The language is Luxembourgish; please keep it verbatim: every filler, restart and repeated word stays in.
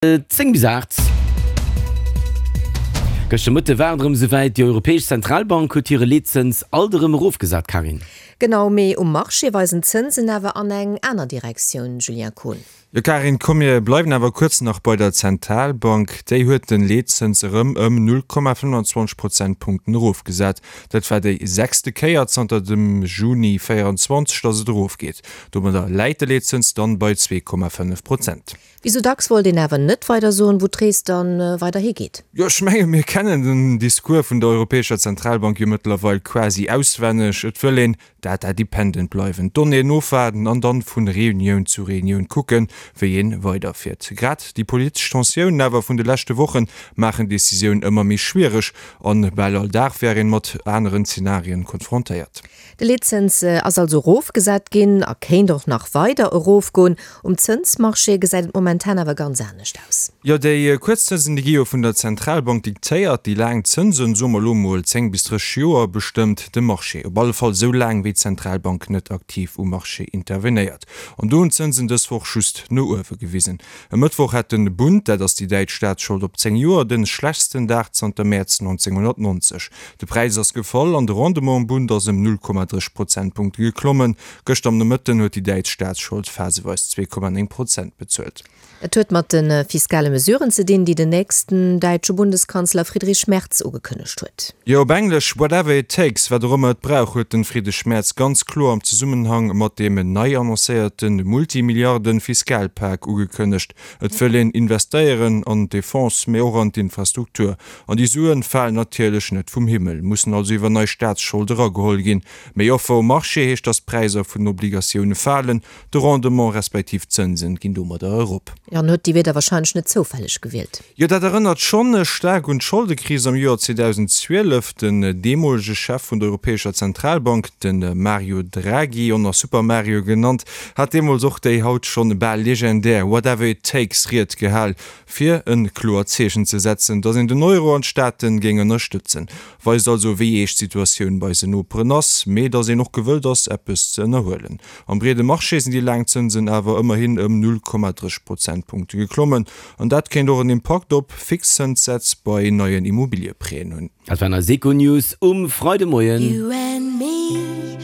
Zéng bis aacht. Gëschter Mëtte war et erëm esouwäit, Déi Europäesch Zentralbank huet hire Leetzëns alt erëm erofgesat, Carine. Genau, mee um Marché weisen d'Zënsen awer an eng aner Direktioun, Julien Kohn. Jo Carine, komm mir bleiwen awer kuerz nach bei der Zentralbank. Déi huet den Leetzëns erëm ëm null Komma fënnfanzwanzeg Prozentpunkten erofgesat. Dat war déi sechste Kéier zanter dem Juni véierundzwanzeg, datt et erofgeet. Domadder läit de Leetzëns dann bei zwee Komma fënnef Prozent. Wéi sou dacks wollt een awer net weider soen, wou d'Rees dann weider higeet. Jo, ech menge mir kennen den Discours vun der Europäescher Zentralbank jo mëttlerweil quasi auswenneg. Et wëll een data dependent bleiwen, d'Donnéeën ofwaarden an dann vun Reunioun zu Reunioun kucken, wéi een weiderfiert. Grad déi politesch Tensiounen awer vun de leschte Wochen maachen d'Decisioun ëmmer méi schwiereg an bal all Dag wär een mat aneren Zenarien konfrontéiert. De Leetzëns ass also erofgesat ginn a kéint och nach weider erofgoen. Um Zënsmarché gesäit et momentan awer ganz anescht aus. Jo, déi kuerz Zënsen, déi gi jo vun der Zentralbank diktéiert. Déi laang Zënsen, soe mer elo mol zéng bis drësseg Joer, bestëmmt de Marché. Op alle Fall esou laang, wéi d'Zentralbank net aktiv um Marché intervenéiert. An do hunn d'Zënsen dës Woch just no uewe gewisen. E Mëttwoch hat de Bund, dat ass déi däitsch Staatsschold op zéng Joer, de schlechtsten Dag zanter Mäerz nonzénghonnertnonzeg. De Präis ass gefall an de Rendement um Bund ass ëm null Komma dräi Prozentpunkte geklommen. Gëschter am Nomëtten huet déi däitsch Staatsschold phaseweis zwee Komma néng Prozent bezuelt. Et huet mat de fiskale Mesuren ze dinn, déi den nächsten däitsche Bundeskanzler Friedrich Merz ugekënnegt huet. Jo, op Englesch whatever it takes, wat och ëmmer et brauch, huet de Friedrich Merz ganz kloer am Zesummenhang mat deem nei annoncéierte Multimilliarden-Fiskalpak ugekënnegt. Et wëll een investéieren an d'Defense, mee och an d'Infrastruktur. An déi Suen falen natierlech net vum Himmel, mussen also iwwer nei Staatsschold erageholl ginn. Méi Offer um Marché heescht, datt d'Präisser vun den Obligatioune falen, de Rendement respektiv d'Zënsen ginn domadder erop. Jo, en huet déi Wierder warscheinlech net zoufälleg gewielt. Jo, dat erënnert schonn staark un d'Scholdekris am Joer zweedausendzwielef. Den deemolege Chef vun der Europäescher Zentralbank, de Mario Draghi, och nach Super Mario genannt, hat deemools och déi haut schonn bal legendär Whatever it takes Ried gehal, fir e kloert Zeechen ze setzen, datt een den Euro an d'Staate géing ënnerstëtzen. Weist also, wéi eescht d'Situatioun bei eisen Noperen ass, mee datt een och gewëllt ass, eppes ze ënnerhuelen. Am breede Marché sinn déi laang Zënsen awer ëmmerhin ëm null Komma dräi Prozentpunkte geklommen, an dat kéint och en Impakt op Fixzënssätz bei neien Immobilieprêten hunn. Dat waren eis Econews um Freidemoien. You and me.